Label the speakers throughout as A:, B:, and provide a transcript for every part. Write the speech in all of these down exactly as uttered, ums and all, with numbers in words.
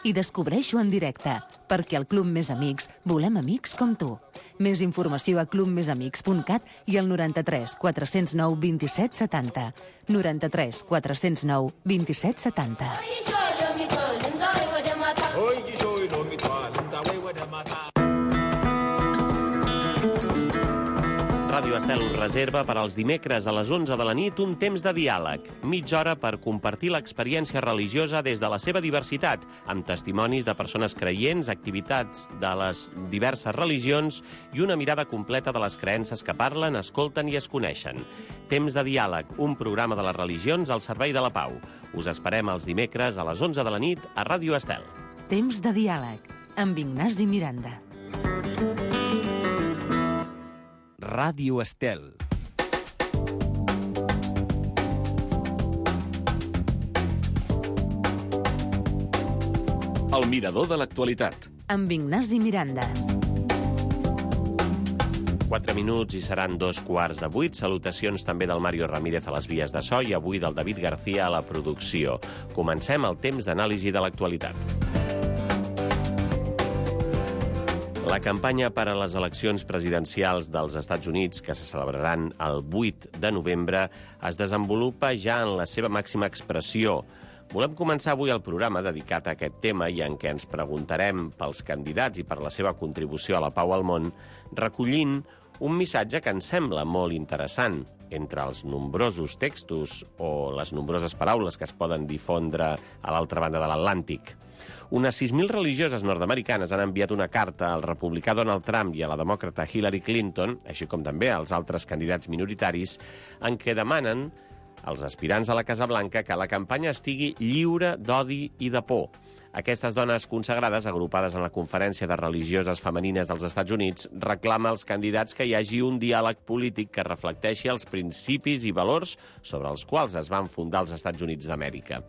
A: i descobreixo en directe, perquè al Club Més Amics volem amics com tu. Més informació a club més amics punt cat i al noranta-tres quatre-cents nou vint-i-set setanta. noranta-tres quatre-cents nou vint-i-set setanta.
B: Ràdio Estel us reserva per als dimecres a les onze de la nit un temps de diàleg, mitja hora per compartir l'experiència religiosa des de la seva diversitat, amb testimonis de persones creients, activitats de les diverses religions i una mirada completa de les creences que parlen, escolten i es coneixen. Temps de diàleg, un programa de les religions al servei de la pau. Us esperem els dimecres a les onze de la nit a Ràdio Estel.
A: Temps de diàleg, amb Ignasi Miranda.
C: Ràdio Estel. El mirador de l'actualitat.
A: Amb Ignasi Miranda.
B: Quatre minuts i seran dos quarts de vuit. Salutacions també del Mario Ramírez a les vies de so i avui del David García a la producció. Comencem el temps d'anàlisi de l'actualitat. La campanya per a les eleccions presidencials dels Estats Units, que se celebraran el vuit de novembre, es desenvolupa ja en la seva màxima expressió. Volem començar avui el programa dedicat a aquest tema i en què ens preguntarem pels candidats i per la seva contribució a la pau al món, recollint un missatge que ens sembla molt interessant. Entre els nombrosos textos o les nombroses paraules que es poden difondre a l'altra banda de l'Atlàntic. Unes sis mil religioses nord-americanes han enviat una carta al republicà Donald Trump i a la demòcrata Hillary Clinton, així com també als altres candidats minoritaris, en què demanen als aspirants a la Casa Blanca que la campanya estigui lliure d'odi i de por. Aquestes dones consagrades, agrupades en la Conferència de Religioses Femenines dels Estats Units, reclama als candidats que hi hagi un diàleg polític que reflecteixi els principis i valors sobre els quals es van fundar els Estats Units d'Amèrica.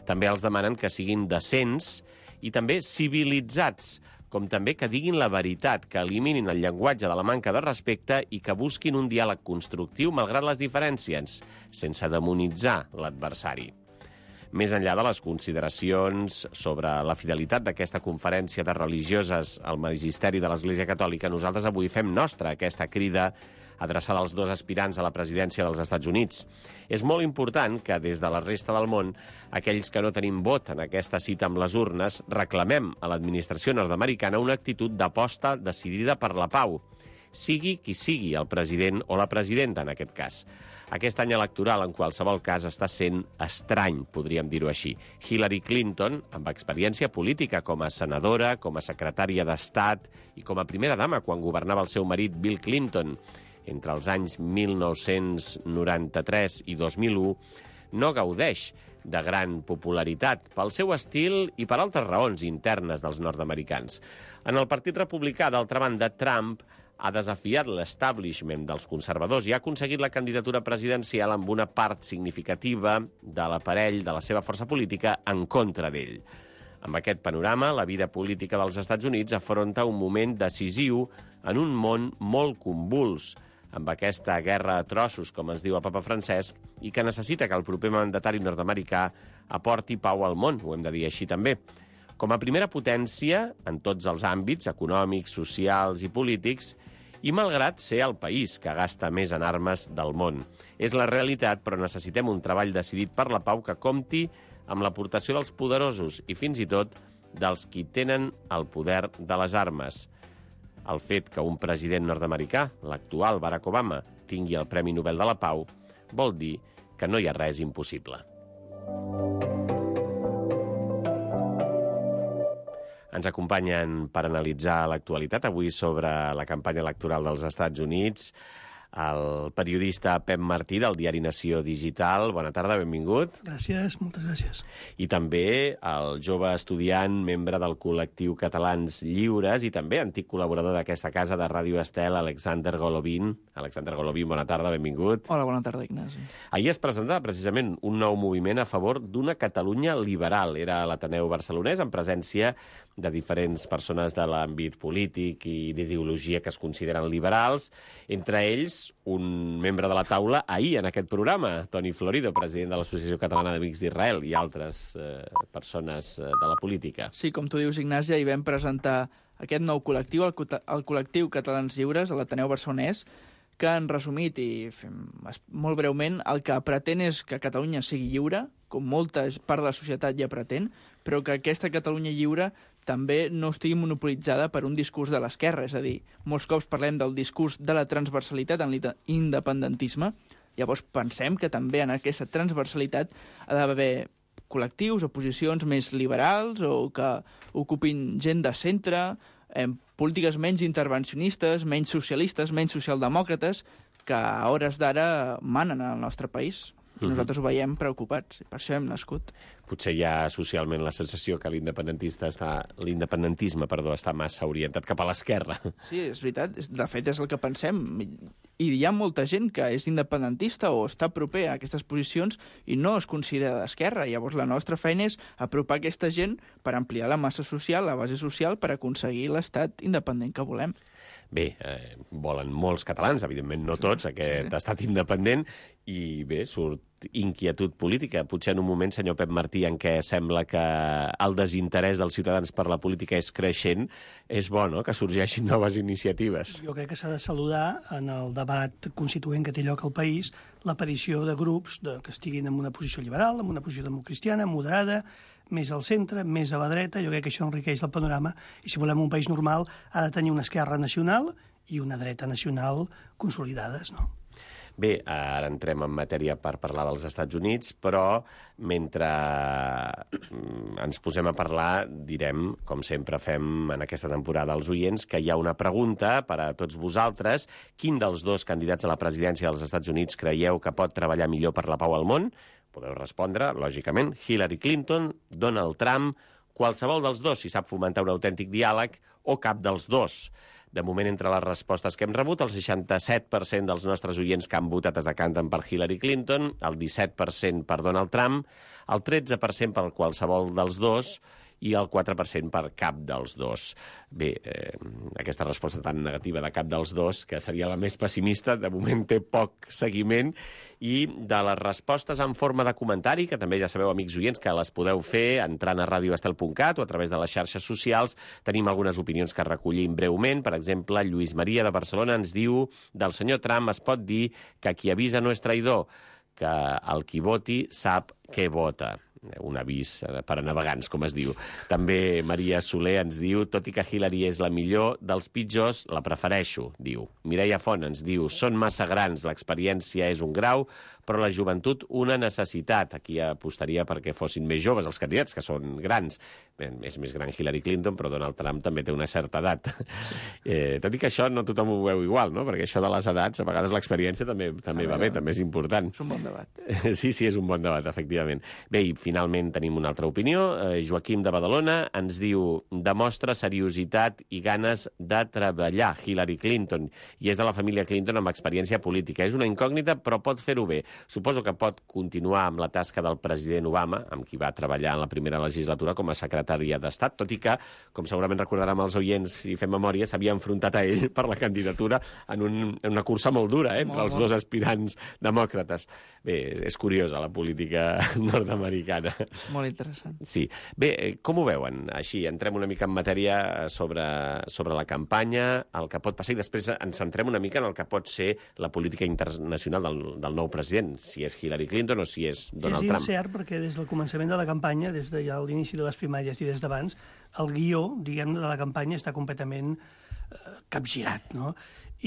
B: També els demanen que siguin decents i també civilitzats, com també que diguin la veritat, que eliminin el llenguatge de la manca de respecte i que busquin un diàleg constructiu malgrat les diferències, sense demonitzar l'adversari. Més enllà de les consideracions sobre la fidelitat d'aquesta conferència de religioses al magisteri de l'Església Catòlica, nosaltres avui fem nostra aquesta crida adreçada als dos aspirants a la presidència dels Estats Units. És molt important que des de la resta del món, aquells que no tenim vot en aquesta cita amb les urnes, reclamem a l'administració nord-americana una actitud d'aposta decidida per la pau, sigui qui sigui el president o la presidenta en aquest cas. Aquest any electoral, en qualsevol cas, està sent estrany, podríem dir-ho així. Hillary Clinton, amb experiència política com a senadora, com a secretària d'Estat i com a primera dama quan governava el seu marit Bill Clinton entre els anys mil nou-cents noranta-tres i dos mil u, no gaudeix de gran popularitat pel seu estil i per altres raons internes dels nord-americans. En el Partit Republicà, d'altra banda, Trump ha desafiat l'establishment dels conservadors i ha aconseguit la candidatura presidencial amb una part significativa de l'aparell de la seva força política en contra d'ell. Amb aquest panorama, la vida política dels Estats Units afronta un moment decisiu en un món molt convuls, amb aquesta guerra a trossos, com es diu el papa Francesc, i que necessita que el proper mandatari nord-americà aporti pau al món, ho hem de dir així també. Com a primera potència, en tots els àmbits econòmics, socials i polítics, i malgrat ser el país que gasta més en armes del món. És la realitat, però necessitem un treball decidit per la pau que compti amb l'aportació dels poderosos i fins i tot dels qui tenen el poder de les armes. El fet que un president nord-americà, l'actual Barack Obama, tingui el Premi Nobel de la Pau, vol dir que no hi ha res impossible. Ens acompanyen per analitzar l'actualitat avui sobre la campanya electoral dels Estats Units el periodista Pep Martí del diari Nació Digital. Bona tarda, benvingut.
D: Gràcies, moltes gràcies.
B: I també el jove estudiant, membre del col·lectiu Catalans Lliures i també antic col·laborador d'aquesta casa de Ràdio Estel, Alexander Golovin. Alexander Golovin, bona tarda, benvingut.
D: Hola, bona tarda, Ignasi.
B: Ahir es presentava precisament un nou moviment a favor d'una Catalunya liberal. Era a l'Ateneu Barcelonès, en presència de diferents persones de l'àmbit polític i d'ideologia que es consideren liberals, entre ells més, un membre de la taula ahir en aquest programa, Toni Florido, president de l'Associació Catalana d'Amics d'Israel, i altres eh, persones eh, de la política.
D: Sí, com tu dius, Ignasi, ahir vam presentar aquest nou col·lectiu, el, el col·lectiu Catalans Lliures, a l'Ateneu Barcelonès, que han resumit i fem, molt breument el que pretén és que Catalunya sigui lliure, com molta part de la societat ja pretén, però que aquesta Catalunya lliure també no estigui monopolitzada per un discurs de l'esquerra. És a dir, molts cops parlem del discurs de la transversalitat en l'independentisme, llavors pensem que també en aquesta transversalitat ha d'haver col·lectius o posicions més liberals o que ocupin gent de centre, eh, polítiques menys intervencionistes, menys socialistes, menys socialdemòcrates, que a hores d'ara manen al nostre país. I nosaltres ho veiem preocupats, i per això hem nascut.
B: Potser hi ha socialment la sensació que l'independentista està, l'independentisme perdó, està massa orientat cap a l'esquerra.
D: Sí, és veritat. De fet, és el que pensem. I hi ha molta gent que és independentista o està proper a aquestes posicions i no es considera d'esquerra. Llavors, la nostra feina és apropar aquesta gent per ampliar la massa social, la base social, per aconseguir l'estat independent que volem.
B: Bé, eh, volen molts catalans, evidentment no tots, aquest estat independent, i bé, surt inquietud política. Potser en un moment, senyor Pep Martí, en què sembla que el desinterès dels ciutadans per la política és creixent, és bo, no?, que sorgeixin noves iniciatives.
E: Jo crec que s'ha de saludar en el debat constituent que té lloc al país l'aparició de grups de, que estiguin en una posició liberal, en una posició democristiana, moderada, més al centre, més a la dreta. Jo crec que això enriqueix el panorama i si volem un país normal ha de tenir una esquerra nacional i una dreta nacional consolidades, no?
B: Bé, ara entrem en matèria per parlar dels Estats Units, però mentre ens posem a parlar, direm, com sempre fem en aquesta temporada als oients, que hi ha una pregunta per a tots vosaltres. Quin dels dos candidats a la presidència dels Estats Units creieu que pot treballar millor per la pau al món? Podeu respondre, lògicament, Hillary Clinton, Donald Trump, qualsevol dels dos, si sap fomentar un autèntic diàleg, o cap dels dos. De moment, entre les respostes que hem rebut, el seixanta-set per cent dels nostres oients que han votat es decanten per Hillary Clinton, el disset per cent per Donald Trump, el tretze per cent per qualsevol dels dos i el quatre per cent per cap dels dos. Bé, eh, aquesta resposta tan negativa de cap dels dos, que seria la més pessimista, de moment té poc seguiment, i de les respostes en forma de comentari, que també ja sabeu, amics oients, que les podeu fer entrant a radio estel punt cat o a través de les xarxes socials. Tenim algunes opinions que recollim breument. Per exemple, Lluís Maria de Barcelona ens diu: del senyor Trump es pot dir que qui avisa no és traïdor, que el qui voti sap què vota. Un avís per a navegants, com es diu. També Maria Soler ens diu: tot i que Hillary és la millor dels pitjors, la prefereixo, diu. Mireia Font ens diu: són massa grans, l'experiència és un grau, però la joventut una necessitat. Aquí apostaria perquè fossin més joves els candidats, que són grans. Bé, és més gran Hillary Clinton, però Donald Trump també té una certa edat. Sí. Eh, tot i que això no tothom ho veu igual, no? Perquè això de les edats, a vegades l'experiència també, també va bé, també és important.
D: És un bon debat.
B: Sí, sí, és un bon debat, efectivament. Bé, i finalment tenim una altra opinió. Eh, Joaquim de Badalona ens diu: demostra seriositat i ganes de treballar, Hillary Clinton, i és de la família Clinton amb experiència política. És una incògnita, però pot fer-ho bé. Suposo que pot continuar amb la tasca del president Obama, amb qui va treballar en la primera legislatura com a secretària d'Estat, tot i que, com segurament recordaran els oients, si fem memòria, s'havia enfrontat a ell per la candidatura en, un, en una cursa molt dura, eh, entre els dos aspirants demòcrates. Bé, és curiosa la política nord-americana.
D: Molt interessant.
B: Sí. Bé, com ho veuen? Així, entrem una mica en matèria sobre, sobre la campanya, el que pot passar, i després ens centrem una mica en el que pot ser la política internacional del, del nou president, si és Hillary Clinton o si és Donald Trump.
E: És incert perquè des del començament de la campanya, des de ja l'inici de les primàries i des d'abans, el guió, diguem, de la campanya està completament eh, capgirat, no?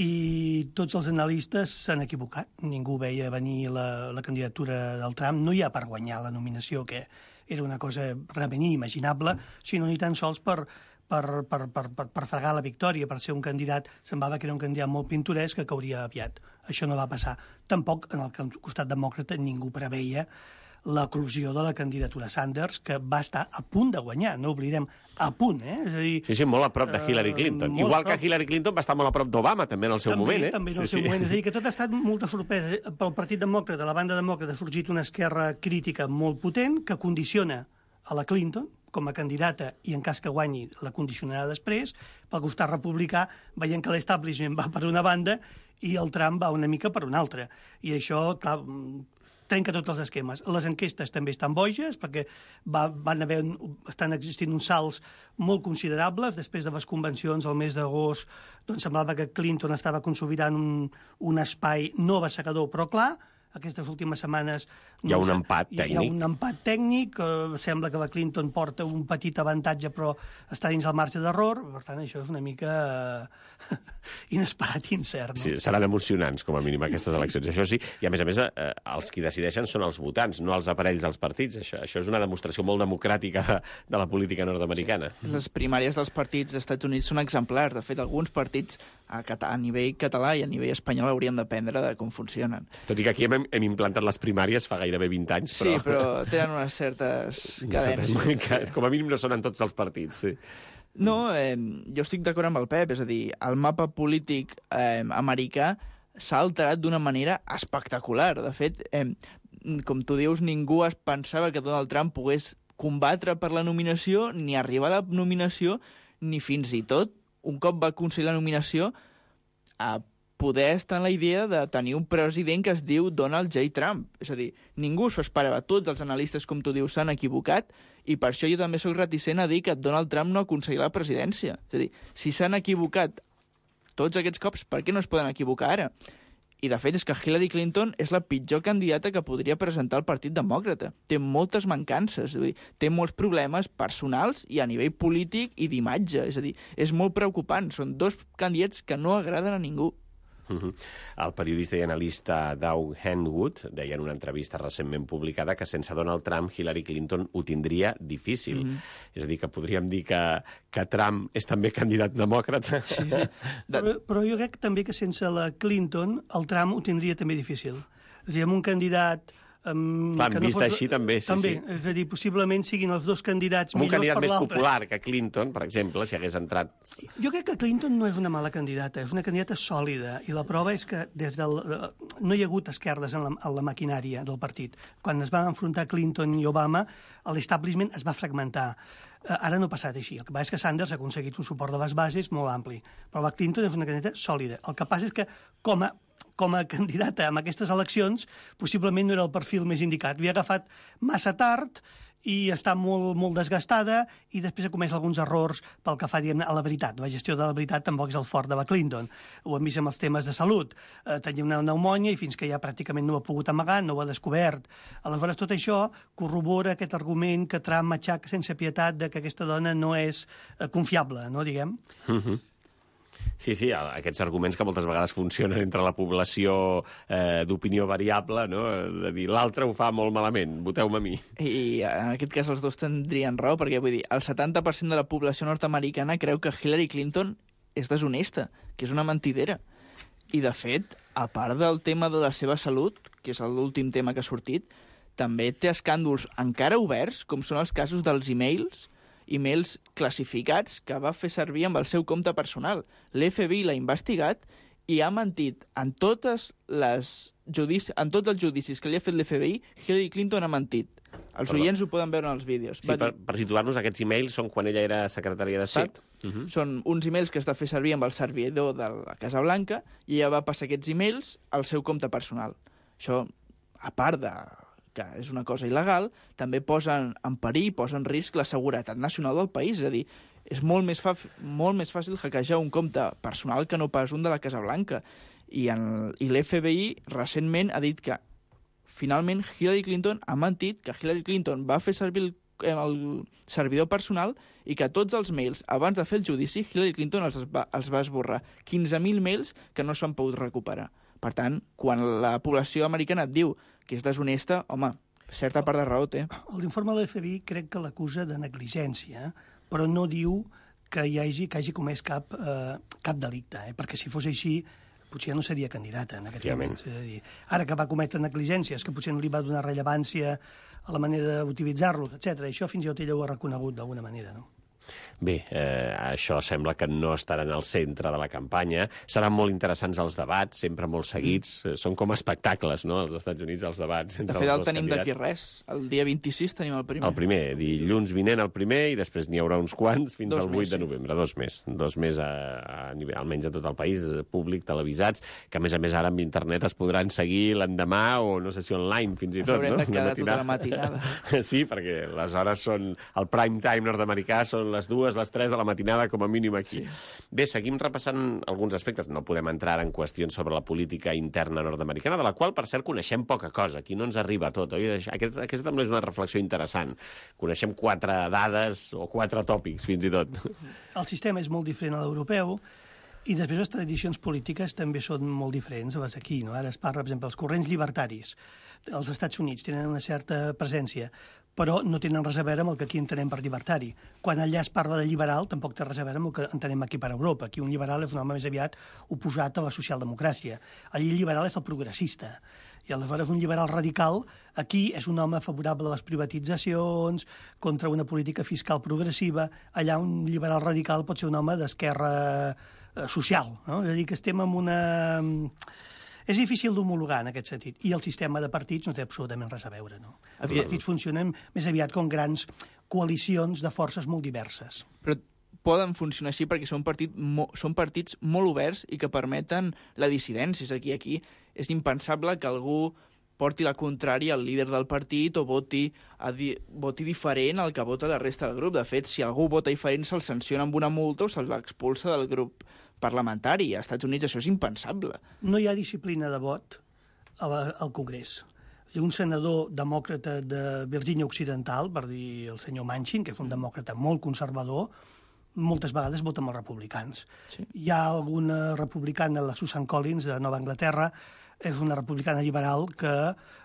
E: I tots els analistes s'han equivocat. Ningú veia venir la, la candidatura del Trump, no hi ha per guanyar la nominació, que era una cosa realment inimaginable, sinó ni tan sols per, per, per, per, per, per fregar la victòria, per ser un candidat, semblava que era un candidat molt pintoresc que cauria aviat. Això no va passar. Tampoc en el costat demòcrata ningú preveia l'eclosió de la candidatura Sanders, que va estar a punt de guanyar, no oblidem, a punt, eh? És a dir,
B: sí, sí, molt a prop de Hillary Clinton. Uh, Igual que Hillary Clinton va estar molt a prop d'Obama, també en el seu
E: també,
B: moment, eh?
E: També en el
B: sí,
E: seu
B: sí.
E: moment. És a dir, que tot ha estat molta sorpresa. Pel Partit Demòcrata, la banda demòcrata, ha sorgit una esquerra crítica molt potent que condiciona a la Clinton, com a candidata i en cas que guanyi la condicionarà després. Pel costat republicà, veient que l'establishment va per una banda i el Trump va una mica per una altra. I això, clar, trenca tots els esquemes. Les enquestes també estan boges, perquè va, van haver, estan existint uns salts molt considerables. Després de les convencions al mes d'agost, doncs semblava que Clinton estava consolidant un, un espai no abassegador, però clar, aquestes últimes setmanes...
B: Hi ha un empat tècnic.
E: Hi ha un empat tècnic, eh, sembla que la Clinton porta un petit avantatge, però està dins el marge d'error, per tant, això és una mica eh, inesperat i incert. No?
B: Sí, seran emocionants, com a mínim, aquestes eleccions. Això sí, i a més a més, eh, els qui decideixen són els votants, no els aparells dels partits. Això, això és una demostració molt democràtica de, de la política nord-americana.
D: Sí. Les primàries dels partits dels Estats Units són exemplars. De fet, alguns partits a, a nivell català i a nivell espanyol hauríem d'aprendre de com funcionen.
B: Tot i que aquí hem, hem implantat les primàries fa gairebé vint anys, però...
D: Sí, però tenen unes certes cadències.
B: Com a mínim no són en tots els partits, sí.
D: No, eh, jo estic d'acord amb el Pep, és a dir, el mapa polític eh, americà s'ha alterat d'una manera espectacular. De fet, eh, com tu dius, ningú es pensava que Donald Trump pogués combatre per la nominació, ni arribar a la nominació, ni fins i tot, un cop va aconseguir la nominació, a poder estar en la idea de tenir un president que es diu Donald J. Trump. És a dir, ningú s'ho esperava. Tots els analistes, com tu dius, s'han equivocat, i per això jo també soc reticent a dir que Donald Trump no aconseguirà la presidència. És a dir, si s'han equivocat tots aquests cops, per què no es poden equivocar ara? I, de fet, és que Hillary Clinton és la pitjor candidata que podria presentar el Partit Demòcrata. Té moltes mancances, és a dir, té molts problemes personals i a nivell polític i d'imatge. És a dir, és molt preocupant. Són dos candidats que no agraden a ningú.
B: Uh-huh. El periodista i analista Doug Henwood deia en una entrevista recentment publicada que sense Donald Trump Hillary Clinton ho tindria difícil. Mm-hmm. És a dir, que podríem dir que, que Trump és també candidat demòcrata. Sí, sí.
E: Però, però jo crec també que sense la Clinton el Trump ho tindria també difícil. És a dir, amb un candidat... Um,
B: Clar,
E: que no
B: vist
E: fos...
B: així també, sí,
E: també,
B: sí.
E: És a dir, possiblement siguin els dos candidats
B: un
E: millors
B: candidat
E: per
B: més
E: l'altre.
B: popular que Clinton, per exemple, si hagués entrat...
E: Jo crec que Clinton no és una mala candidata, és una candidata sòlida, i la prova és que des del... no hi ha hagut esquerdes en la, en la maquinària del partit. Quan es van enfrontar Clinton i Obama, l'establishment es va fragmentar. Ara no ha passat així. El que passa és que Sanders ha aconseguit un suport de les bases molt ampli. Però la Clinton és una candidata sòlida. El que passa és que, com a, com a candidata en aquestes eleccions, possiblement no era el perfil més indicat. Havia agafat massa tard i està molt, molt desgastada, i després ha comès alguns errors pel que fa, diguem, a la veritat. La gestió de la veritat tampoc és el fort de la Clinton. Ho hem vist amb els temes de salut. Eh, tenia una pneumònia i fins que ja pràcticament no ho ha pogut amagar, no ho ha descobert. Aleshores, tot això corrobora aquest argument que Trump matxaca sense pietat de que aquesta dona no és eh, confiable, no, diguem?
B: Mhm. Sí, sí, aquests arguments que moltes vegades funcionen entre la població eh, d'opinió variable, no? De dir, l'altre ho fa molt malament, voteu-me a mi.
D: I en aquest cas els dos tindrien raó, perquè vull dir, el setanta per cent de la població nord-americana creu que Hillary Clinton és deshonesta, que és una mentidera. I, de fet, a part del tema de la seva salut, que és l'últim tema que ha sortit, també té escàndols encara oberts, com són els casos dels e-mails, e-mails classificats que va fer servir amb el seu compte personal. L'F B I l'ha investigat i ha mentit en totes les judici... en tots els judicis que li ha fet l'F B I. Hillary Clinton ha mentit. Els
B: Perdó.
D: oients ho poden veure en els vídeos.
B: Sí, per, per situar-nos, aquests e-mails són quan ella era secretària d'Estat?
D: Sí.
B: Uh-huh.
D: Són uns e-mails que està fer servir amb el servidor de la Casa Blanca, i ella va passar aquests e-mails al seu compte personal. Això, a part de que és una cosa il·legal, també posa en perill, posa en risc la seguretat nacional del país. És a dir, és molt més, fa, molt més fàcil hackejar un compte personal que no pas un de la Casa Blanca. I, en, i l'F B I recentment ha dit que finalment Hillary Clinton ha mentit, que Hillary Clinton va fer servir el, el servidor personal i que tots els mails, abans de fer el judici, Hillary Clinton els va, els va esborrar. quinze mil mails que no s'han pogut recuperar. Per tant, quan la població americana et diu que és deshonesta, home, certa part de raó té.
E: L'informe de l'F B I crec que l'acusa de negligència, però no diu que hi hagi, que hagi comès cap, eh, cap delicte, eh? Perquè si fos així potser no seria candidata en aquest moment. És a dir, ara que va cometre negligències, que potser no li va donar rellevància a la manera d'utilitzar-los, etcètera. Això fins i tot ella ho ha reconegut d'alguna manera, no?
B: Bé, eh, això sembla que no estarà en el centre de la campanya. Seran molt interessants els debats, sempre molt seguits. Mm. Són com espectacles, no?, als Estats Units, els debats entre
D: de fet,
B: els
D: el
B: dos
D: tenim
B: candidats.
D: d'aquí res. El dia vint-i-sis tenim el primer.
B: El primer, dilluns vinent el primer, i després n'hi haurà uns quants fins
D: Dos
B: al vuit
D: més,
B: de novembre. Dos més. Dos més, a, a nivell, almenys a tot el país, públic, televisats, que a més a més ara amb internet es podran seguir l'endemà o no sé si online fins i tot,
D: haurem
B: no?
D: de quedar tota la matinada.
B: Sí, perquè les hores són... El prime time nord-americà són les dues, les tres de la matinada, com a mínim aquí. Sí. Bé, seguim repassant alguns aspectes. No podem entrar en qüestions sobre la política interna nord-americana, de la qual, per cert, coneixem poca cosa. Aquí no ens arriba tot, oi? Aquest, aquesta també és una reflexió interessant. Coneixem quatre dades o quatre tòpics, fins i tot.
E: El sistema és molt diferent a l'europeu, i després les tradicions polítiques també són molt diferents a les d'aquí, no? Ara es parla, per exemple, els corrents llibertaris. Els Estats Units tenen una certa presència, però no tenen res a veure amb el que aquí entenem per llibertari. Quan allà es parla de liberal, tampoc té res a veure amb el que entenem aquí per Europa. Aquí un liberal és un home més aviat oposat a la socialdemocràcia. Allí el liberal és el progressista. I aleshores un liberal radical aquí és un home favorable a les privatitzacions, contra una política fiscal progressiva. Allà un liberal radical pot ser un home d'esquerra eh, social, no? És a dir, que estem en una... És difícil d'homologar en aquest sentit. I el sistema de partits no té absolutament res a veure, no? Els partits funcionen més aviat com grans coalicions de forces molt diverses.
D: Però poden funcionar així perquè són, partit mo són partits molt oberts i que permeten la dissidència. És aquí, aquí és impensable que algú porti la contrària al líder del partit o voti, a di voti diferent al que vota la resta del grup. De fet, si algú vota diferent, se'l sanciona amb una multa o se'l expulsa del grup parlamentari. Als Estats Units això és impensable.
E: No hi ha disciplina de vot al Congrés. Un senador demòcrata de Virgínia Occidental, per dir el senyor Manchin, que és un demòcrata molt conservador, moltes vegades vota amb els republicans. Sí. Hi ha alguna republicana, la Susan Collins, de Nova Anglaterra, és una republicana liberal que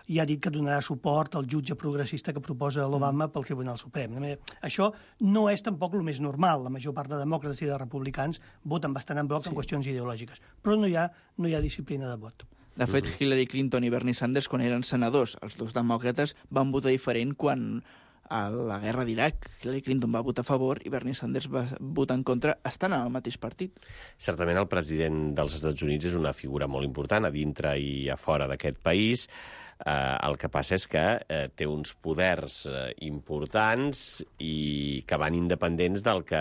E: ja ha dit que donarà suport al jutge progressista que proposa l'Obama pel Tribunal Suprem. Això no és tampoc el més normal. La major part de demòcrates i de republicans voten bastant en bloc sí. en qüestions ideològiques, però no hi ha, no hi ha disciplina de vot.
D: De fet, Hillary Clinton i Bernie Sanders, quan eren senadors, els dos demòcrates van votar diferent quan a la guerra d'Iraq. Hillary Clinton va votar a favor i Bernie Sanders va votar en contra, estan en el mateix partit.
B: Certament el president dels Estats Units és una figura molt important a dintre i a fora d'aquest país. Eh, el que passa és que eh, té uns poders eh, importants i que van independents del que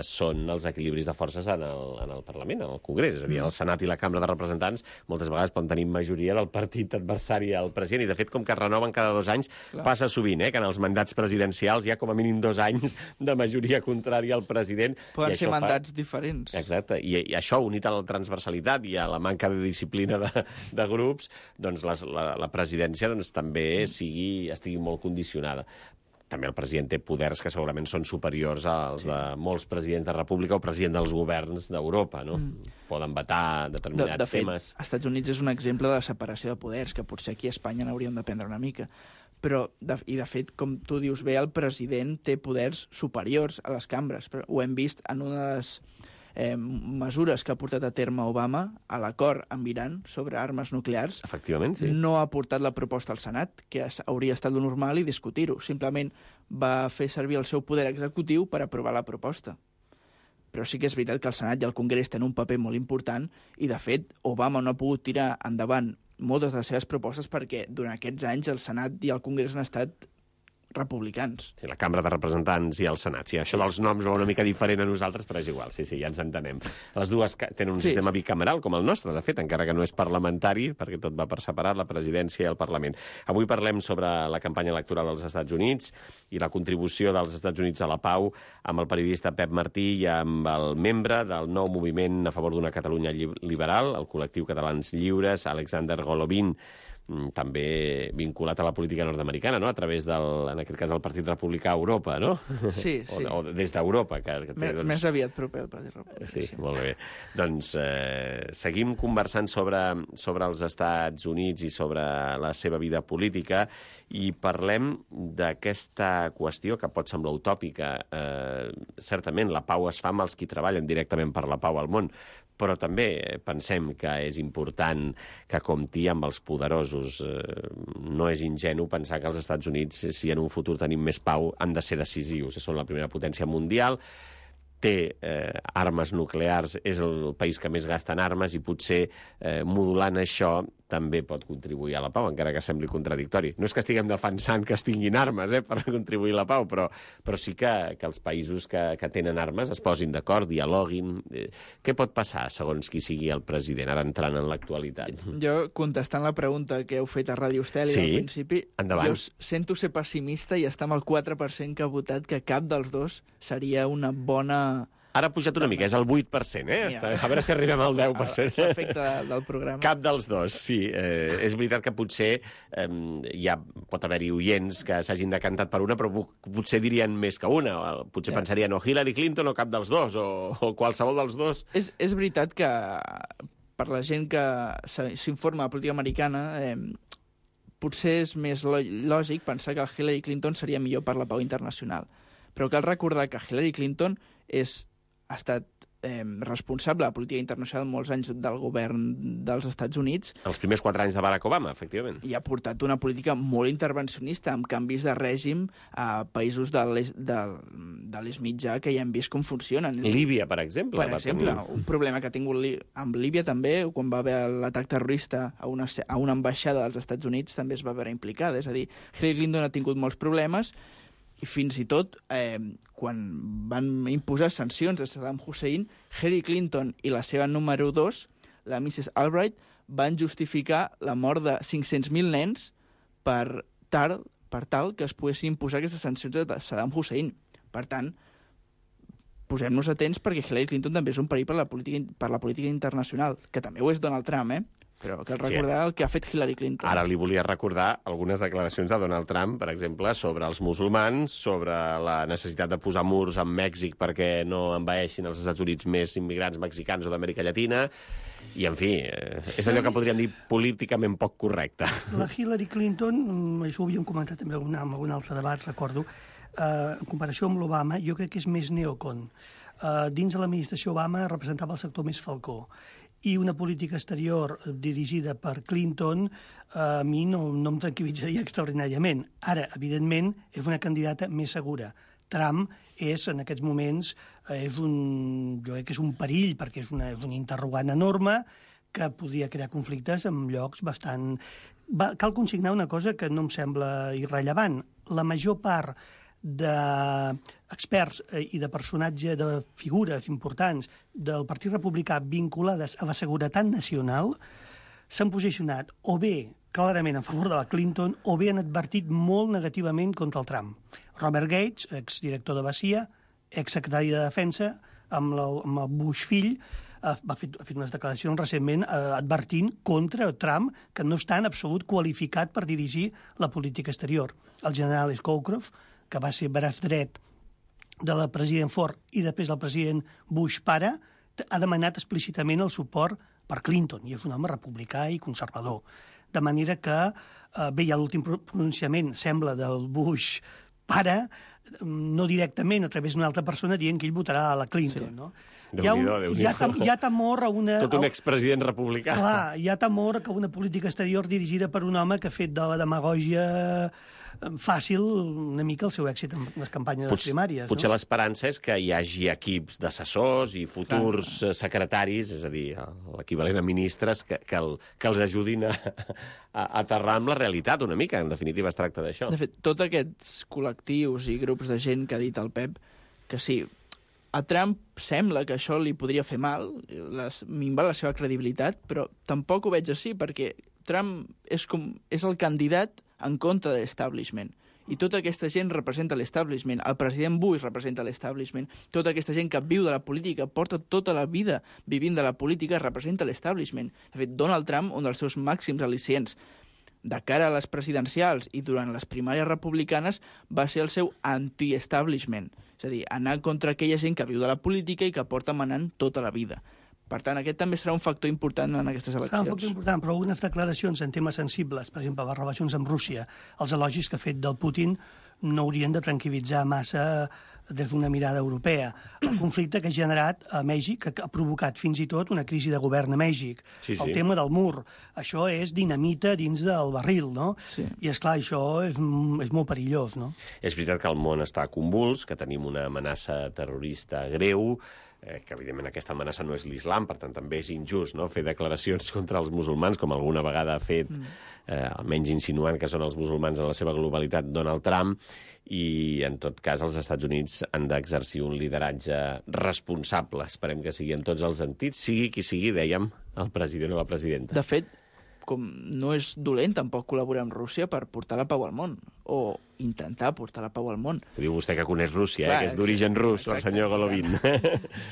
B: són els equilibris de forces en el, en el Parlament, en el Congrés. És a dir, el Senat i la Cambra de Representants moltes vegades poden tenir majoria del partit adversari al president, i de fet, com que es renoven cada dos anys, Clar. passa sovint, eh, que en els mandats presidencials hi ha com a mínim dos anys de majoria contrària al president.
D: Poden ser mandats
B: fa...
D: diferents.
B: Exacte, I, i això unit a la transversalitat i a la manca de disciplina de, de grups, doncs les, la, la presidència doncs, també sigui, estigui molt condicionada. També el president té poders que segurament són superiors als de molts presidents de república o president dels governs d'Europa, no? Mm. Poden vetar determinats
D: de, de fet,
B: temes.
D: als Estats Units és un exemple de la separació de poders, que potser aquí a Espanya n'hauríem d'aprendre una mica. Però, de, i de fet, com tu dius bé, el president té poders superiors a les cambres. Però ho hem vist en una de les eh, mesures que ha portat a terme Obama a l'acord amb Iran sobre armes nuclears.
B: Efectivament, sí.
D: No ha portat la proposta al Senat, que hauria estat lo normal, i discutir-ho. Simplement va fer servir el seu poder executiu per aprovar la proposta. Però sí que és veritat que el Senat i el Congrés tenen un paper molt important i, de fet, Obama no ha pogut tirar endavant moltes de les seves propostes perquè durant aquests anys el Senat i el Congrés han estat republicans.
B: Sí, la Cambra de Representants i el Senat. Sí, això dels noms va una mica diferent a nosaltres, però és igual, sí, sí, ja ens entenem. Les dues tenen un sí. sistema bicameral, com el nostre, de fet, encara que no és parlamentari, perquè tot va per separat, la presidència i el Parlament. Avui parlem sobre la campanya electoral dels Estats Units i la contribució dels Estats Units a la pau amb el periodista Pep Martí i amb el membre del nou moviment a favor d'una Catalunya liberal, el col·lectiu Catalans Lliures, Alexander Golovin, també vinculat a la política nord-americana, no? A través del, en aquest cas, del Partit Republicà a Europa, no?
D: Sí, sí.
B: O, o des d'Europa. Que, que té,
D: més,
B: doncs...
D: més aviat proper al Partit Republicà.
B: Sí, sí, molt bé. Doncs eh, seguim conversant sobre, sobre els Estats Units i sobre la seva vida política i parlem d'aquesta qüestió que pot semblar utòpica. Eh, certament, la pau es fa amb els qui treballen directament per la pau al món, però també pensem que és important que compti amb els poderosos casos. Eh, no és ingenu pensar que els Estats Units, si en un futur tenim més pau, han de ser decisius. Són la primera potència mundial, té eh, armes nuclears, és el país que més gasta en armes i potser eh, modulant això també pot contribuir a la pau, encara que sembli contradictori. No és que estiguem defensant que es tinguin armes eh, per contribuir a la pau, però, però sí que, que els països que, que tenen armes es posin d'acord, dialoguin. Eh, què pot passar, segons qui sigui el president, ara entrant en l'actualitat?
D: Jo, contestant la pregunta que heu fet a Ràdio Estel
B: sí?
D: al principi,
B: Endavant.
D: jo sento ser pessimista i està amb el quatre per cent que ha votat que cap dels dos seria una bona...
B: Ara ha pujat una mica, és el vuit per cent, eh? Està, a veure si arribem al deu per cent.
D: L'efecte del programa.
B: Cap dels dos, sí. Eh, és veritat que potser eh, ja pot haver-hi oients que s'hagin decantat per una, però potser dirien més que una. Potser ja. pensarien o Hillary Clinton o cap dels dos, o, o qualsevol dels dos.
D: És, és veritat que per la gent que s'informa de política americana, eh, potser és més lògic pensar que el Hillary Clinton seria millor per la pau internacional. Però cal recordar que Hillary Clinton és ha estat eh, responsable de política internacional molts anys del govern dels Estats Units.
B: Els primers quatre anys de Barack Obama, efectivament.
D: I ha portat una política molt intervencionista, amb canvis de règim a països de l'est mitjà que ja hem vist com funcionen.
B: Líbia, per exemple.
D: Per exemple, tenir... un problema que ha tingut amb Líbia també, quan va haver l'atac terrorista a una, a una ambaixada dels Estats Units, també es va veure implicada. És a dir, Hillary Clinton ha tingut molts problemes, i fins i tot, eh, quan van imposar sancions a Saddam Hussein, Hillary Clinton i la seva número dos, la missus Albright, van justificar la mort de cinc-cents mil nens per tal, per tal que es poguessin imposar aquestes sancions de Saddam Hussein. Per tant, posem-nos atents perquè Hillary Clinton també és un perill per la política, per la política internacional, que també ho és Donald Trump, eh? Però cal recordar sí. el que ha fet Hillary Clinton.
B: Ara li volia recordar algunes declaracions de Donald Trump, per exemple, sobre els musulmans, sobre la necessitat de posar murs amb Mèxic perquè no envaeixin els Estats Units més immigrants mexicans o d'Amèrica Llatina, i, en fi, és allò que podríem dir políticament poc correcte.
E: La Hillary Clinton, això ho havíem comentat també en algun altre debat, recordo, eh, en comparació amb l'Obama, jo crec que és més neocon. Eh, dins de l'administració Obama representava el sector més falcó, i una política exterior dirigida per Clinton a mi no, no em tranquil·litzaria extraordinàriament. Ara, evidentment, és una candidata més segura. Trump és, en aquests moments, és un, jo crec que és un perill, perquè és, una, és un interrogant enorme que podria crear conflictes en llocs bastant... Va, cal consignar una cosa que no em sembla irrellevant. La major part d'experts i de personatges, de figures importants del Partit Republicà vinculades a la seguretat nacional s'han posicionat o bé clarament en favor de la Clinton o bé han advertit molt negativament contra el Trump. Robert Gates, exdirector de B A C I A, exsecretari de Defensa, amb, la, amb el Bush fill, ha fet, ha fet unes declaracions recentment eh, advertint contra Trump que no està en absolut qualificat per dirigir la política exterior. El general Scowcroft, que va ser braç dret de la president Ford i després del president Bush pare, ha demanat explícitament el suport per Clinton, i és un home republicà i conservador. De manera que, eh, bé, ja l'últim pronunciament sembla del Bush pare, no directament, a través d'una altra persona, dient que ell votarà a la Clinton, sí. no? Hi ha, un, hi, ha tem, hi ha temor a una...
B: Tot un expresident republicà.
E: Clar, hi ha temor que una política exterior dirigida per un home que ha fet de la demagògia fàcil una mica el seu èxit en les campanyes de les primàries.
B: Potser
E: no?
B: l'esperança és que hi hagi equips d'assessors i futurs Clar. secretaris, és a dir, l'equivalent a ministres, que, que, el, que els ajudin a, a aterrar amb la realitat una mica. En definitiva, es tracta d'això.
D: De fet, tots aquests col·lectius i grups de gent que ha dit el Pep, que sí, a Trump sembla que això li podria fer mal, les, minvar la seva credibilitat, però tampoc ho veig així, perquè Trump és, com, és el candidat en contra de l'establishment. I tota aquesta gent representa l'establishment. El president Bush representa l'establishment. Tota aquesta gent que viu de la política, porta tota la vida vivint de la política, representa l'establishment. De fet, Donald Trump, un dels seus màxims al·licients de cara a les presidencials i durant les primàries republicanes, va ser el seu anti-establishment. És a dir, anar contra aquella gent que viu de la política i que porta manant tota la vida. Per tant, aquest també serà un factor important en aquestes eleccions.
E: Serà un factor important, però algunes declaracions en temes sensibles, per exemple, les relacions amb Rússia, els elogis que ha fet del Putin, no haurien de tranquil·litzar massa des d'una mirada europea. El conflicte que ha generat a Mèxic, que ha provocat fins i tot una crisi de govern a Mèxic.
B: Sí, sí.
E: El tema del mur. Això és dinamita dins del barril, no?
D: Sí.
E: I, esclar, això és, és molt perillós, no?
B: És veritat que el món està convuls, que tenim una amenaça terrorista greu, eh, que evidentment aquesta amenaça no és l'islam, per tant també és injust, no?, fer declaracions contra els musulmans, com alguna vegada ha fet, eh, almenys insinuant que són els musulmans en la seva globalitat, Donald Trump, i en tot cas els Estats Units han d'exercir un lideratge responsable. Esperem que sigui en tots els sentits, sigui qui sigui, dèiem, el president o la presidenta.
D: De fet, com no és dolent tampoc col·laborar amb Rússia per portar la pau al món, o intentar portar la pau al món.
B: Ho diu vostè que coneix Rússia,
D: Clar,
B: eh, que és d'origen rus,
D: exacte,
B: el senyor Golovin.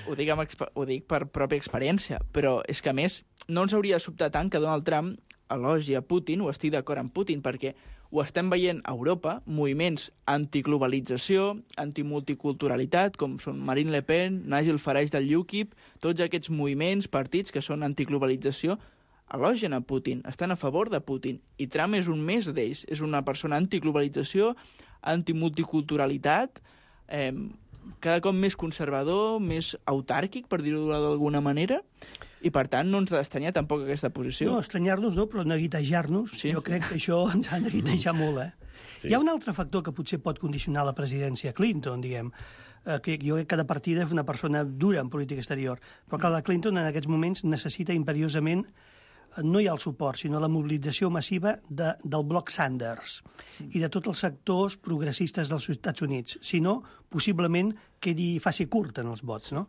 D: Ho dic, amb exp... ho dic per pròpia experiència, però és que, a més, no ens hauria de sobtar tant que Donald Trump elogi a Putin, o estic d'acord amb Putin, perquè ho estem veient a Europa, moviments antiglobalització, antimulticulturalitat, com són Marine Le Pen, Nigel Farage del U KIP, tots aquests moviments, partits que són antiglobalització, elogien a Putin, estan a favor de Putin, i Trump és un més d'ells, és una persona antiglobalització, antimulticulturalitat, eh, cada cop més conservador, més autàrquic, per dir-ho d'alguna manera, i per tant no ens ha d'estranyar tampoc aquesta posició.
E: No, estranyar-nos no, però neguitejar-nos,
D: Sí.
E: jo crec que això ens ha de neguitejar molt, eh?
B: Sí.
E: Hi ha un altre factor que potser pot condicionar la presidència Clinton, diguem, eh, que jo crec que de partida és una persona dura en política exterior, però que la Clinton en aquests moments necessita imperiosament, no hi ha el suport, sinó la mobilització massiva de, del bloc Sanders i de tots els sectors progressistes dels Estats Units. Si no, possiblement quedi, faci curt en els vots, no?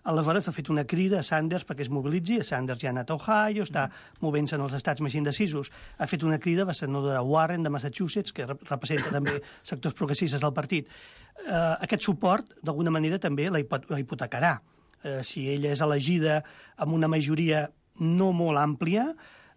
E: Aleshores ha fet una crida a Sanders perquè es mobilitzi. Sanders ja ha anat a Ohio, està movent-se en els estats més indecisos. Ha fet una crida a la senadora Warren de Massachusetts, que representa també sectors progressistes del partit. Eh, aquest suport, d'alguna manera, també la hipotecarà. Eh, si ella és elegida amb una majoria no molt àmplia,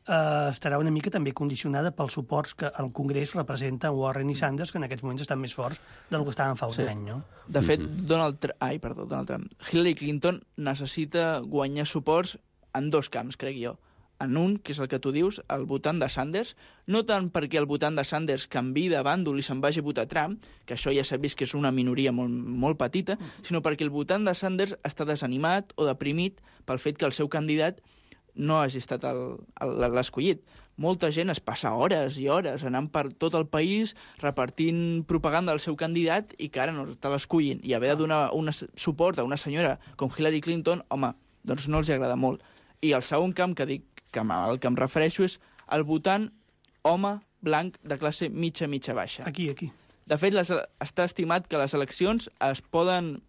E: eh, estarà una mica també condicionada pels suports que el Congrés representa Warren i Sanders, que en aquests moments estan més forts del que estaven fa un
D: Sí.
E: any, no?
D: De fet, Donald Trump, ai, perdó, Donald Trump, Hillary Clinton necessita guanyar suports en dos camps, crec jo. En un, que és el que tu dius, el votant de Sanders, no tant perquè el votant de Sanders canviï de bàndol i se'n vagi a votar Trump, que això ja s'ha vist que és una minoria molt, molt petita, sinó perquè el votant de Sanders està desanimat o deprimit pel fet que el seu candidat no hagi estat el- el- l'escollit. Molta gent es passa hores i hores anant per tot el país repartint propaganda del seu candidat i que ara no està l'escollint. I haver de donar un suport a una senyora com Hillary Clinton, home, doncs no els agrada molt. I el segon camp que dic, que al que em refereixo, és el votant home blanc de classe mitja-mitja-baixa.
E: Aquí, aquí.
D: De fet, les, està estimat que les eleccions es poden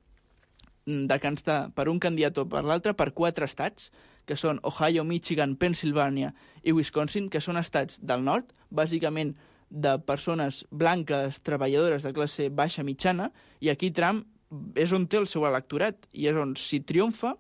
D: decantar per un candidat o per l'altre per quatre estats, que són Ohio, Michigan, Pennsylvania i Wisconsin, que són estats del nord, bàsicament de persones blanques, treballadores de classe baixa mitjana, i aquí Trump és on té el seu electorat, i és on, si triomfa,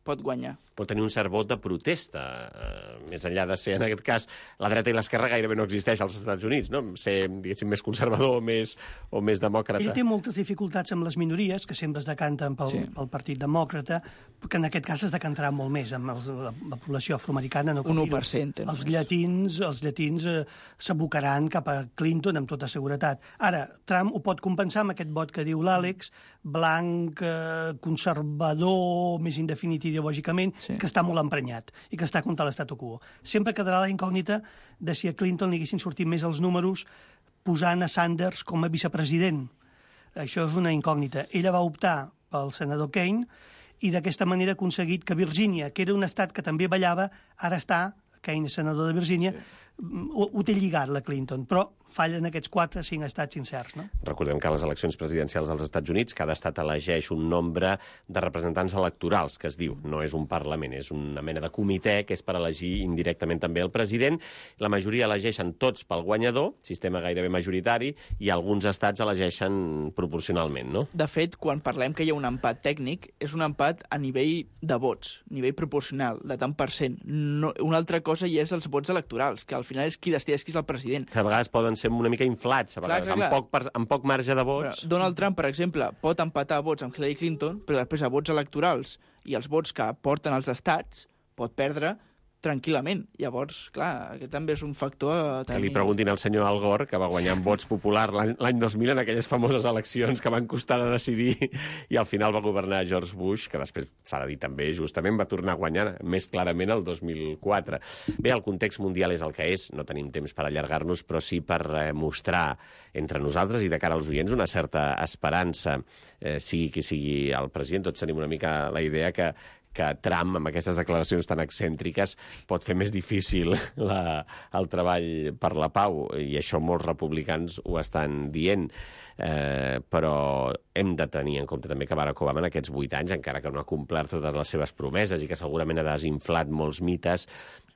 D: pot guanyar.
B: Pot tenir un cert vot de protesta, eh, més enllà de ser, en aquest cas, la dreta i l'esquerra gairebé no existeix als Estats Units, no? Ser, diguéssim, més conservador o més, o més demòcrata.
E: Ell té moltes dificultats amb les minories, que sempre es decanten pel,
D: Sí.
E: pel Partit Demòcrata, que en aquest cas es decantarà molt més amb els, la, la població afroamericana. No
D: Un
E: cal
D: u
E: dir-ho.
D: per cent.
E: Els llatins, els llatins eh, s'abocaran cap a Clinton amb tota seguretat. Ara, Trump ho pot compensar amb aquest vot que diu l'Àlex, blanc, eh, conservador, més indefinit ideològicament,
D: Sí.
E: que està molt emprenyat i que està contra l'estatu quo. Sempre quedarà la incògnita de si a Clinton li haguessin sortit més els números posant a Sanders com a vicepresident. Això és una incògnita. Ella va optar pel senador Kane i d'aquesta manera ha aconseguit que Virgínia, que era un estat que també ballava, ara està, Kane és senador de Virgínia, sí. ho, ho té lligat la Clinton, però fallen aquests quatre, cinc estats incerts, no?
B: Recordem que a les eleccions presidencials dels Estats Units cada estat elegeix un nombre de representants electorals, que es diu. No és un parlament, és una mena de comitè que és per elegir indirectament també el president. La majoria elegeixen tots pel guanyador, sistema gairebé majoritari, i alguns estats elegeixen proporcionalment, no?
D: De fet, quan parlem que hi ha un empat tècnic, és un empat a nivell de vots, nivell proporcional, de tant per cent. No, una altra cosa hi és els vots electorals, que al final és qui decideix qui és el president.
B: Que a vegades poden ser una mica inflats, a vegades,
D: Clar, clar, clar.
B: Amb, poc, amb poc marge de
D: Però
B: vots.
D: Donald Trump, per exemple, pot empatar vots amb Hillary Clinton, però després a vots electorals i els vots que porten els estats pot perdre tranquil·lament. Llavors, clar, aquest també és un factor a tenir...
B: Que li preguntin al senyor Al Gore, que va guanyar en vots popular l'any dos mil en aquelles famoses eleccions que van costar de decidir i al final va governar George Bush, que després s'ha de dir també, justament va tornar a guanyar més clarament el dos mil quatre. Bé, el context mundial és el que és, no tenim temps per allargar-nos, però sí per eh, mostrar entre nosaltres i de cara als oients una certa esperança, eh, sigui qui sigui el president. Tots tenim una mica la idea que que Trump, amb aquestes declaracions tan excèntriques, pot fer més difícil la, el treball per la pau, i això molts republicans ho estan dient. Eh, però hem de tenir en compte també que Barack Obama en aquests vuit anys, encara que no ha complert totes les seves promeses i que segurament ha desinflat molts mites,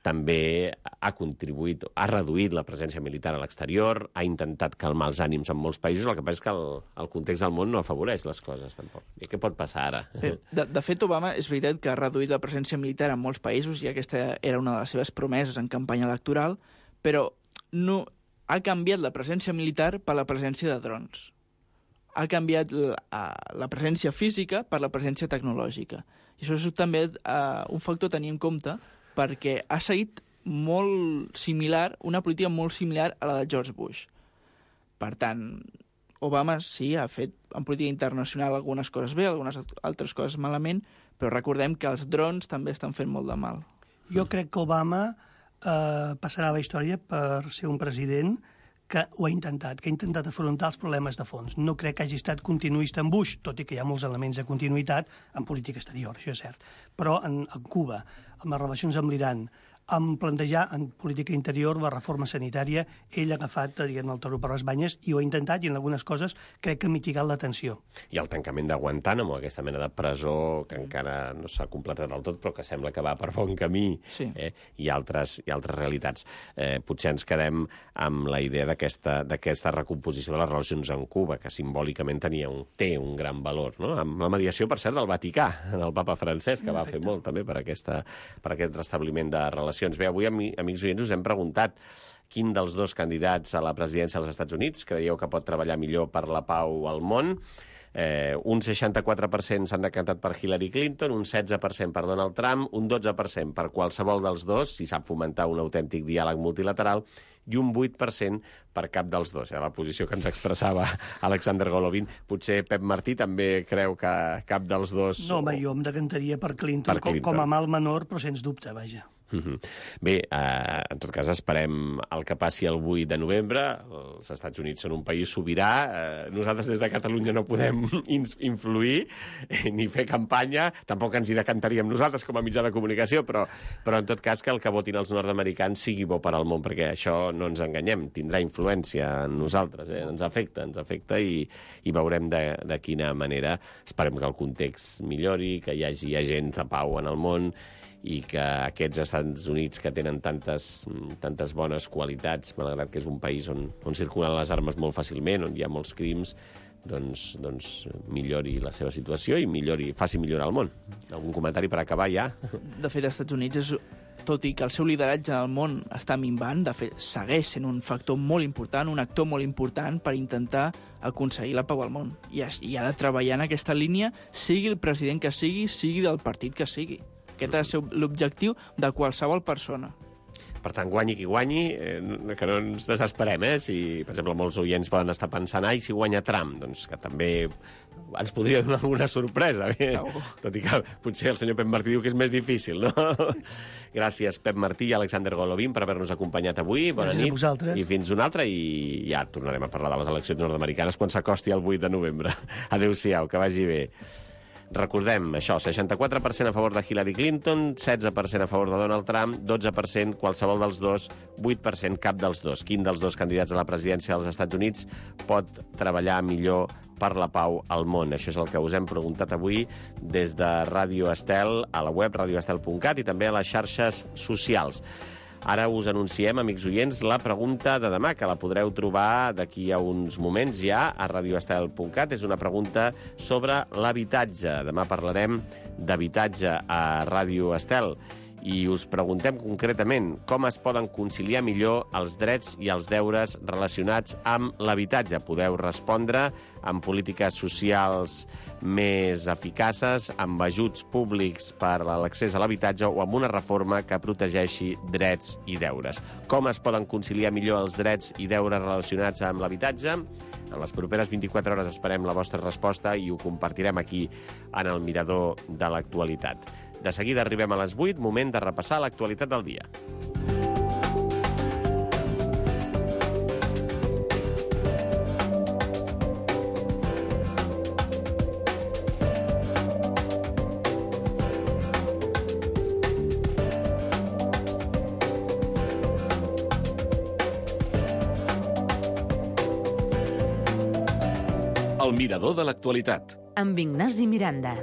B: també ha contribuït, ha reduït la presència militar a l'exterior, ha intentat calmar els ànims en molts països, el que passa és que el, el context del món no afavoreix les coses, tampoc. I què pot passar ara?
D: De, de fet, Obama és veritat que ha reduït la presència militar en molts països i aquesta era una de les seves promeses en campanya electoral, però no ha canviat la presència militar per la presència de drons. Ha canviat la, la presència física per la presència tecnològica. I això és també uh, un factor a tenir en compte, perquè ha seguit molt similar, una política molt similar a la de George Bush. Per tant, Obama sí, ha fet en política internacional algunes coses bé, algunes altres coses malament, però recordem que els drons també estan fent molt de mal.
E: Jo crec que Obama eh, passarà a la història per ser un president que ho ha intentat, que ha intentat afrontar els problemes de fons. No crec que hagi estat continuista en Bush, tot i que hi ha molts elements de continuïtat en política exterior, això és cert. Però en, en Cuba, amb les relacions amb l'Iran, en plantejar en política interior la reforma sanitària, ell ha agafat, diguem, el toro per les banyes i ho ha intentat, i en algunes coses crec que ha mitigat la tensió.
B: I el tancament de Guantánamo, aquesta mena de presó que encara no s'ha completat del tot, però que sembla que va per bon camí,
D: sí.
B: eh? I, altres, i altres realitats. Eh, potser ens quedem amb la idea d'aquesta d'aquesta recomposició de les relacions amb Cuba, que simbòlicament tenia un, té un gran valor, no? Amb la mediació, per cert, del Vaticà, del papa francès, que va fer molt també per, aquesta, per aquest restabliment de relacions. Bé, avui, amics oients, us hem preguntat quin dels dos candidats a la presidència dels Estats Units creieu que pot treballar millor per la pau al món. Eh, un seixanta-quatre per cent s'han decantat per Hillary Clinton, un setze per cent per Donald Trump, un dotze per cent per qualsevol dels dos, si sap fomentar un autèntic diàleg multilateral, i un vuit per cent per cap dels dos. Eh? La posició que ens expressava Alexander Golovin. Potser Pep Martí també creu que cap dels dos...
E: No, home, jo em decantaria per Clinton, per Clinton. Com, com a mal menor, però sens dubte, vaja.
B: Uh-huh. Bé, eh, en tot cas esperem el que passi el vuit de novembre. Els Estats Units són un país sobirà. Eh, nosaltres des de Catalunya no podem influir eh, ni fer campanya. Tampoc ens hi decantaríem nosaltres com a mitjà de comunicació, però, però en tot cas que el que votin els nord-americans sigui bo per al món, perquè això no ens enganyem, tindrà influència en nosaltres, eh? ens afecta, ens afecta i, i veurem de, de quina manera. Esperem que el context millori, que hi hagi agents de pau en el món, i que aquests Estats Units que tenen tantes, tantes bones qualitats, malgrat que és un país on, on circulen les armes molt fàcilment, on hi ha molts crims, doncs, doncs millori la seva situació i millori, faci millorar el món. Algun comentari per acabar ja?
D: De fet, als Estats Units, és, tot i que el seu lideratge al món està minvant, de fet, segueix sent un factor molt important, un actor molt important per intentar aconseguir la pau al món. I, I ha de treballar en aquesta línia, sigui el president que sigui, sigui del partit que sigui. Aquest ha de ser l'objectiu de qualsevol persona.
B: Per tant, guanyi qui guanyi, eh, que no ens desesperem, eh? Si, per exemple, molts oients poden estar pensant, ai, si guanya Trump, doncs que també ens podria donar alguna sorpresa. Eh?
D: Oh. Tot
B: i que potser el senyor Pep Martí diu que és més difícil, no? Gràcies, Pep Martí i Alexander Golovin, per haver-nos acompanyat avui. Bona
E: Gràcies
B: nit.
E: A vosaltres.
B: I fins una altra, i ja tornarem a parlar de les eleccions nord-americanes quan s'acosti el vuit de novembre. Adéu-siau, que vagi bé. Recordem això, seixanta-quatre per cent a favor de Hillary Clinton, setze per cent a favor de Donald Trump, dotze per cent qualsevol dels dos, vuit per cent cap dels dos. Quin dels dos candidats a la presidència dels Estats Units pot treballar millor per la pau al món? Això és el que us hem preguntat avui des de Ràdio Estel, a la web radio estel punt cat i també a les xarxes socials. Ara us anunciem, amics oients, la pregunta de demà, que la podreu trobar d'aquí a uns moments ja a radio estel punt cat. És una pregunta sobre l'habitatge. Demà parlarem d'habitatge a Ràdio Estel. I us preguntem concretament com es poden conciliar millor els drets i els deures relacionats amb l'habitatge. Podeu respondre amb polítiques socials més eficaces, amb ajuts públics per a l'accés a l'habitatge o amb una reforma que protegeixi drets i deures. Com es poden conciliar millor els drets i deures relacionats amb l'habitatge? En les properes vint-i-quatre hores esperem la vostra resposta i ho compartirem aquí en el Mirador de l'Actualitat. De seguida arribem a les vuit, moment de repassar l'actualitat del dia.
C: El Mirador de l'Actualitat.
A: Amb Ignasi Miranda.